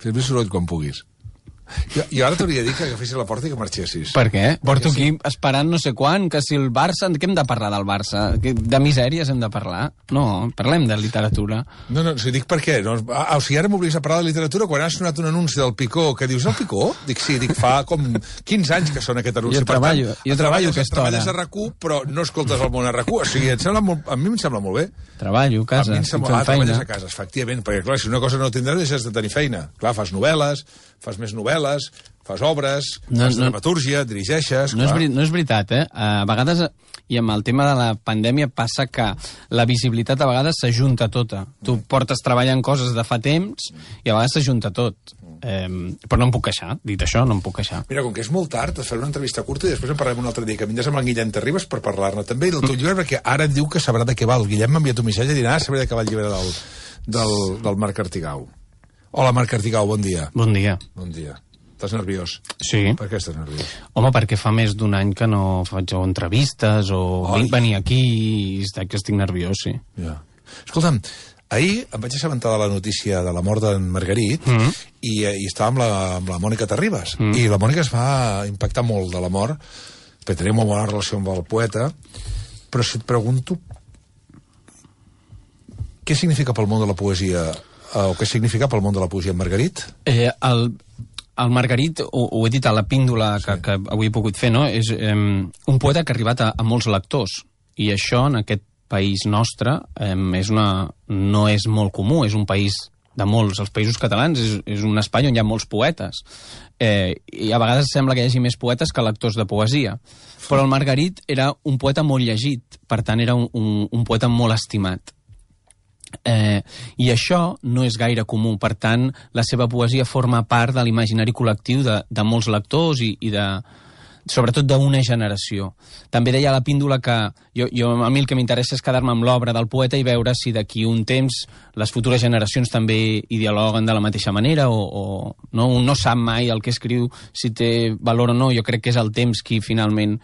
Fes més soroll quan puguis. Jo ara t'hauria de dir que agafessis la porta i que marxessis. Per què? Porto aquí esperant no sé quan, que si el Barça... Què hem de parlar del Barça? De misèries hem de parlar? No, parlem de literatura. No, dic per què. O sigui, ara m'obligues a parlar de literatura quan ha sonat un anunci del Picó, que dius, el Picó? Dic, sí, fa com 15 anys que sona aquest anunci. Jo treballo aquesta hora. Treballes a RAC1, però no escoltes el món a RAC1. O sigui, a mi em sembla molt bé. Treballo a casa, treballes a casa, efectivament, perquè clar, si una cosa no tindràs, deixes de tenir feina. Clar, fas novel·les, fas més novel·les, fas obres, fas dramatúrgia, dirigeixes... No és veritat, eh? A vegades, i amb el tema de la pandèmia, passa que la visibilitat a vegades s'ajunta tota. Tu portes treballant coses de fa temps i a vegades s'ajunta tot. Però no em puc queixar, dit això, no em puc queixar. Mira, com que és molt tard, et faré una entrevista curta i després en parlarem un altre dia, que vindràs amb el Guillem Terribas per parlar-ne també del teu llibre, perquè ara et diu que sabrà de què va. El Guillem m'ha enviat un missatge i dirà, sabré de què va el llibre del Marc Artigau. Hola, Marc Artigau, bon dia. Bon dia. Bon dia. Estàs nerviós? Sí. Per què estàs nerviós? Home, perquè fa més d'un any que no faig entrevistes o venir aquí i estic nerviós, sí. Ja. Escolta'm, ahir em vaig assabentar de la notícia de la mort d'en Margarit i estava amb la Mònica Terribas. I la Mònica es va impactar molt de la mort, perquè tenia molt bona relació amb el poeta, però si et pregunto què significa pel món de la poesia o què significa pel món de la poesia en Margarit? El Margarit, ho he dit a la píndola que avui he pogut fer, no? És un poeta que ha arribat a molts lectors, i això en aquest país nostre no és molt comú, és un país de molts. Els països catalans és un espai on hi ha molts poetes. I a vegades sembla que hi hagi més poetes que lectors de poesia. Però el Margarit era un poeta molt llegit, per tant era un poeta molt estimat. I això no és gaire comú, per tant la seva poesia forma part de l'imaginari col·lectiu de molts lectors i sobretot d'una generació. També deia a la píndola que a mi el que m'interessa és quedar-me amb l'obra del poeta i veure si d'aquí un temps les futures generacions també hi dialoguen de la mateixa manera o no? Un no sap mai el que escriu, si té valor o no. Jo crec que és el temps qui finalment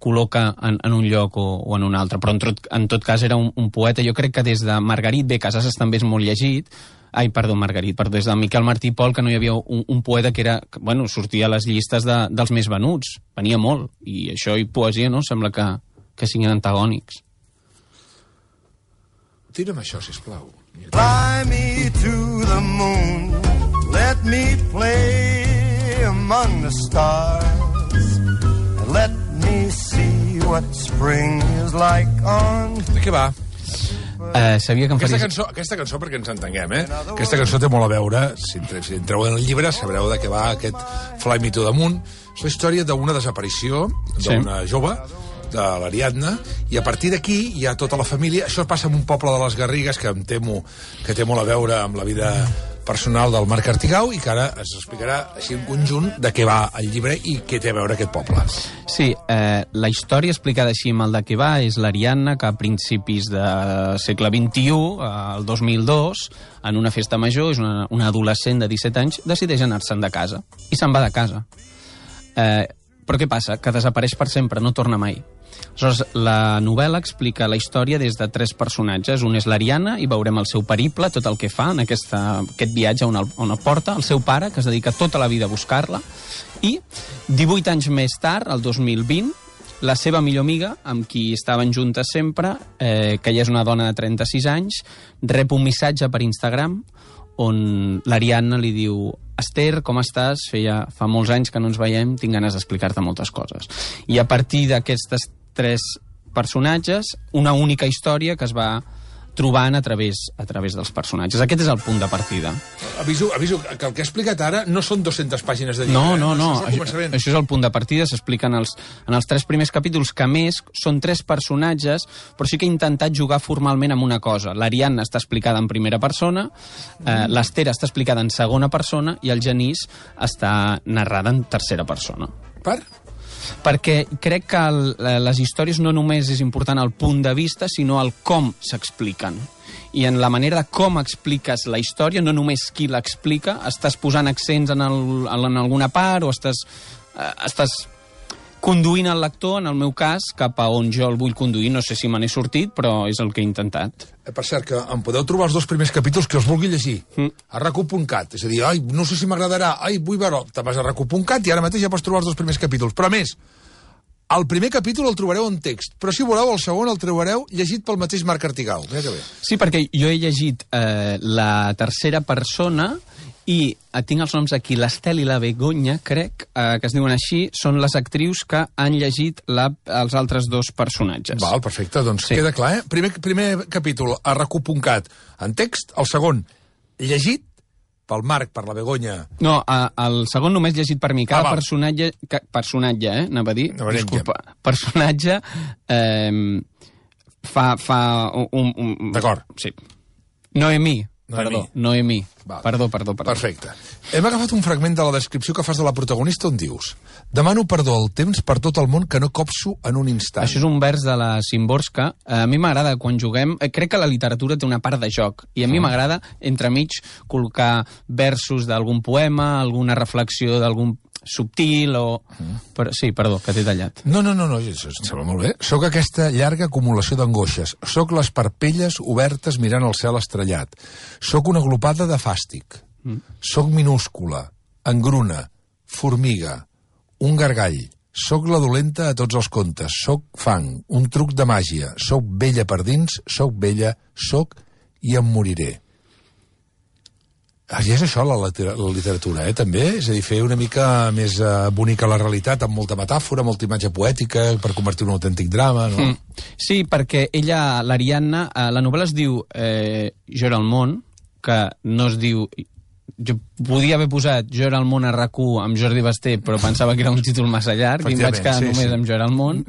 col·loca en un lloc o en un altre, però en tot cas era un poeta. Jo crec que des de Margarit, Casasses també és molt llegit, des de Miquel Martí i Pol, que no hi havia un poeta que sortia a les llistes dels més venuts, venia molt, i això i poesia, no? Sembla que siguin antagònics. Tira'm això, sisplau. Fly me to the moon, let me play among the stars, and let me see what spring is like on... De què va? Sabia que em faries... Aquesta cançó, perquè ens entenguem, aquesta cançó té molt a veure, si entreu en el llibre sabreu de què va aquest Fly Me to the Moon. És la història d'una desaparició d'una jove, de l'Ariadna, i a partir d'aquí hi ha tota la família. Això passa en un poble de les Garrigues que em temo que té molt a veure amb la vida personal del Marc Artigau i que ara es explicarà així en conjunt de què va el llibre i què té a veure aquest poble. Sí, la història explicada així amb el de què va és l'Ariadna, que a principis del segle XXI, el 2002, en una festa major, és una adolescent de 17 anys, decideix anar-se'n de casa. I se'n va de casa. Però què passa? Que desapareix per sempre, no torna mai. Aleshores, la novel·la explica la història des de 3 personatges. Un és l'Ariadna, i veurem el seu periple, tot el que fa en aquest viatge on el porta, el seu pare, que es dedica tota la vida a buscar-la, i 18 anys més tard, el 2020, la seva millor amiga, amb qui estaven juntes sempre, que ja és una dona de 36 anys, rep un missatge per Instagram on l'Ariadna li diu: Esther, com estàs? Fa molts anys que no ens veiem, tinc ganes d'explicar-te moltes coses. I a partir d'aquestes 3 personatges, una única història que es va trobant a través dels personatges. Aquest és el punt de partida. Aviso que el que he explicat ara no són 200 pàgines de llibre. No. Això és el punt de partida. S'explica en els 3 primers capítols, que a més són 3 personatges, però sí que he intentat jugar formalment amb una cosa. L'Ariadna està explicada en primera persona, l'Esther està explicada en segona persona i el Genís està narrada en tercera persona. Perquè crec que les històries no només és important el punt de vista, sinó el com s'expliquen. I en la manera de com expliques la història, no només qui l'explica, estàs posant accents en alguna part o estàs conduint el lector, en el meu cas, cap a on jo el vull conduir. No sé si me n'he sortit, però és el que he intentat. Per cert, que em podeu trobar els 2 primers capítols que us vulgui llegir. A racu.cat. És a dir, ai, no sé si m'agradarà, ai, vull veure... Te vas a racu.cat i ara mateix ja pots trobar els 2 primers capítols. Però a més, el primer capítol el trobareu en text, però si voleu el segon el trobareu llegit pel mateix Marc Artigau. Mira que bé. Sí, perquè jo he llegit la tercera persona i tinc els noms aquí, l'Estel i la Begoña, crec, que es diuen així, són les actrius que han llegit els altres 2 personatges. Val, perfecte, doncs queda clar, Primer capítol a racu.cat en text, el segon llegit pel Marc, per la Begoña. No, el segon només llegit per mi. Cada personatge, anava a dir, disculpa, personatge fa un... D'acord. Sí. Noemí. Noemí. Perdó. Perfecte. Hem agafat un fragment de la descripció que fas de la protagonista on dius: demano perdó al temps per tot el món que no copso en un instant. Això és un vers de la Szymborska. A mi m'agrada quan juguem... Crec que la literatura té una part de joc, i a mi m'agrada, entremig, col·locar versos d'algun poema, alguna reflexió d'algun subtil o... Però, sí, perdó, que t'he tallat. No, això em sembla molt bé. Soc aquesta llarga acumulació d'angoixes. Soc les parpelles obertes mirant el cel estrellat. Soc una glopada de fàstic. Soc minúscula, engruna, formiga, un gargall. Soc la dolenta a tots els contes. Soc fang, un truc de màgia. Soc vella per dins, soc vella, soc i em moriré. I és això, la literatura, també? És a dir, fer una mica més bonica la realitat, amb molta metàfora, molta imatge poètica, per convertir un autèntic drama, no? Sí, perquè ella, l'Ariadna, la novel·la es diu Jo era el món, que no es diu... Jo podia haver posat Jo era el món a RAC1 amb Jordi Basté, però pensava que era un títol massa llarg i em vaig quedar només amb Jo era el món.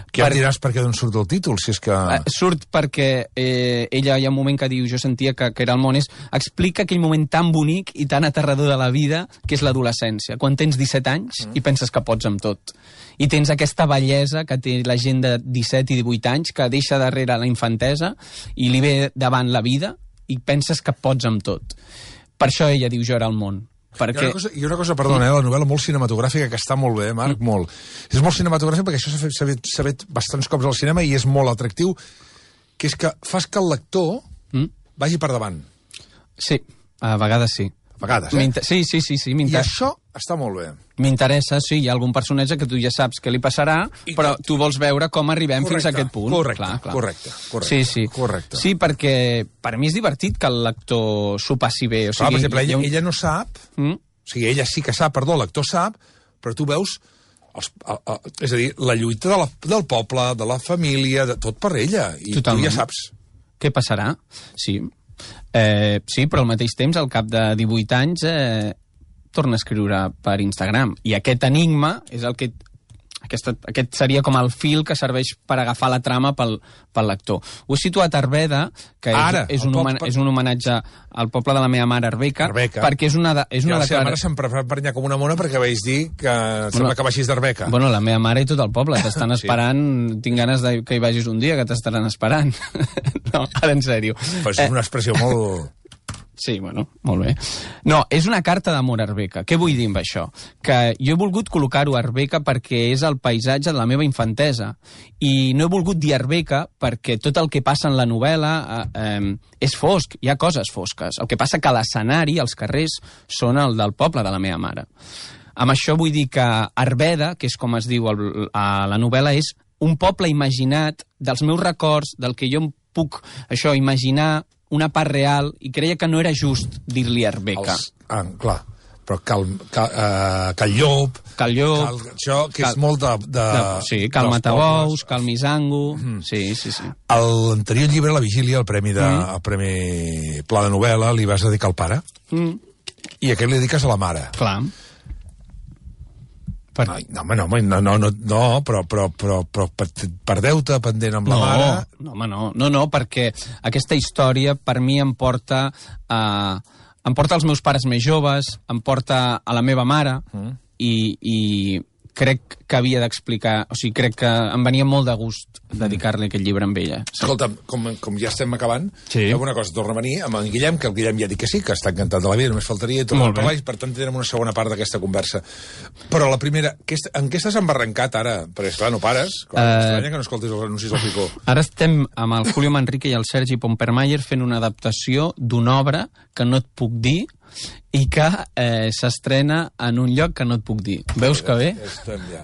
Què em diràs per què d'on surt el títol, si és que... Surt perquè ella hi ha un moment que diu jo sentia que era el món, explica aquell moment tan bonic i tan aterrador de la vida que és l'adolescència, quan tens 17 anys i penses que pots amb tot. I tens aquesta bellesa que té la gent de 17 i 18 anys que deixa darrere la infantesa i li ve davant la vida i penses que pots amb tot. Per això ella diu Jo era el món. Perquè... Hi ha una cosa, perdona, la novel·la molt cinematogràfica que està molt bé, Marc, molt. És molt cinematogràfica perquè això s'ha fet bastants cops al cinema i és molt atractiu, que és que fas que el lector vagi per davant. Sí, a vegades sí. A vegades, Sí, i això està molt bé. M'interessa, sí, hi ha algun personatge que tu ja saps què li passarà, però tu vols veure com arribem fins a aquest punt. Correcte. Sí. Correcte. Sí, perquè per mi és divertit que el lector s'ho passi bé. O sigui, per exemple, ella no sap, o sigui, ella sí que sap, el lector sap, però tu veus, és a dir, la lluita del poble, de la família, de tot per ella, i tu ja saps. Què passarà? Sí. Sí, però al mateix temps, al cap de 18 anys, torna a escriure per Instagram. I aquest enigma és el que... Aquest seria com el fil que serveix per agafar la trama pel lector. Ho he situat a Arbeda, que és un homenatge al poble de la meva mare, Arbeca, perquè és una declaració... La seva mare se'm prenyar com una mona perquè vaig dir que sembla que baixis d'Arbeca. Bueno, la meva mare i tot el poble t'estan esperant, tinc ganes que hi vagis un dia, que t'estaran esperant. No, ara en sèrio. Però és una expressió molt... Sí, bueno, molt bé. No, és una carta d'amor a Arbeca. Què vull dir amb això? Que jo he volgut col·locar-ho a Arbeca perquè és el paisatge de la meva infantesa. I no he volgut dir Arbeca perquè tot el que passa en la novel·la és fosc, hi ha coses fosques. El que passa que l'escenari, els carrers, són el del poble de la meva mare. Amb això vull dir que Arbeda, que és com es diu a la novel·la, és un poble imaginat dels meus records, del que jo em puc imaginar, una part real, i creia que no era just dir-li Arbeca. Clar, però Cal Llop... Això, que és molt de... Sí, Cal Matabous, Cal Misango... Sí. A l'anterior llibre, La Vigília, el premi Pla de Novel·la, li vas dedicar al pare, i aquest li dediques a la mare. Clar. No, però per deute pendent amb la mare... No, perquè aquesta història per mi em porta als meus pares més joves, em porta a la meva mare, i crec que havia d'explicar, o sigui, crec que em venia molt de gust dedicar-li aquest llibre amb ella. Sí. Escolta, com ja estem acabant, Sí. fem una cosa, torna a venir amb en Guillem, que el Guillem ja ha dit que sí, que està encantat de la vida, només faltaria i tornar a parlar, i per tant tindrem una segona part d'aquesta conversa. Però la primera, en què estàs embarrancat ara? Perquè, esclar, no pares. M'estranya que no escoltis els anuncis al Picó. Ara estem amb el Julio Manrique i el Sergi Pompermayer fent una adaptació d'una obra que no et puc dir i que s'estrena en un lloc que no et puc dir. Veus que bé? Estem ja.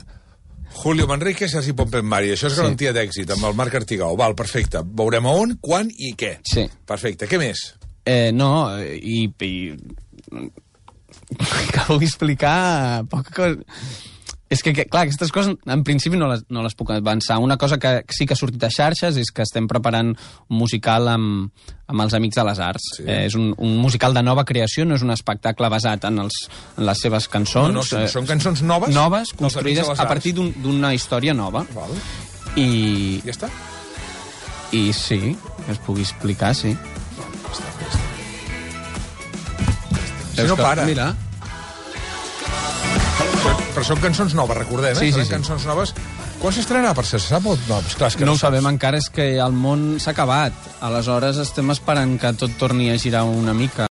Julio Manrique, Sergi Pompermayer. Això és garantia d'èxit, amb el Marc Artigau. Val, perfecte. Veurem a on, quan i què. Sí. Perfecte. Què més? No, i que vull explicar poca cosa. És que, clar, aquestes coses en principi no les puc avançar. Una cosa que sí que ha sortit a xarxes és que estem preparant un musical amb els Amics de les Arts. Sí. És un musical de nova creació, no és un espectacle basat en les seves cançons. No, són cançons noves? Noves, construïdes a partir d'una història nova. Val. I... Ja està? I sí, que es pugui explicar, sí. Si no para. Mira. Però són cançons noves, recordem, Sí. Cançons noves. Quan s'estrenarà, per ser, se sap? No, esclar, és que No ho sabem encara, és que el món s'ha acabat. Aleshores estem esperant que tot torni a girar una mica.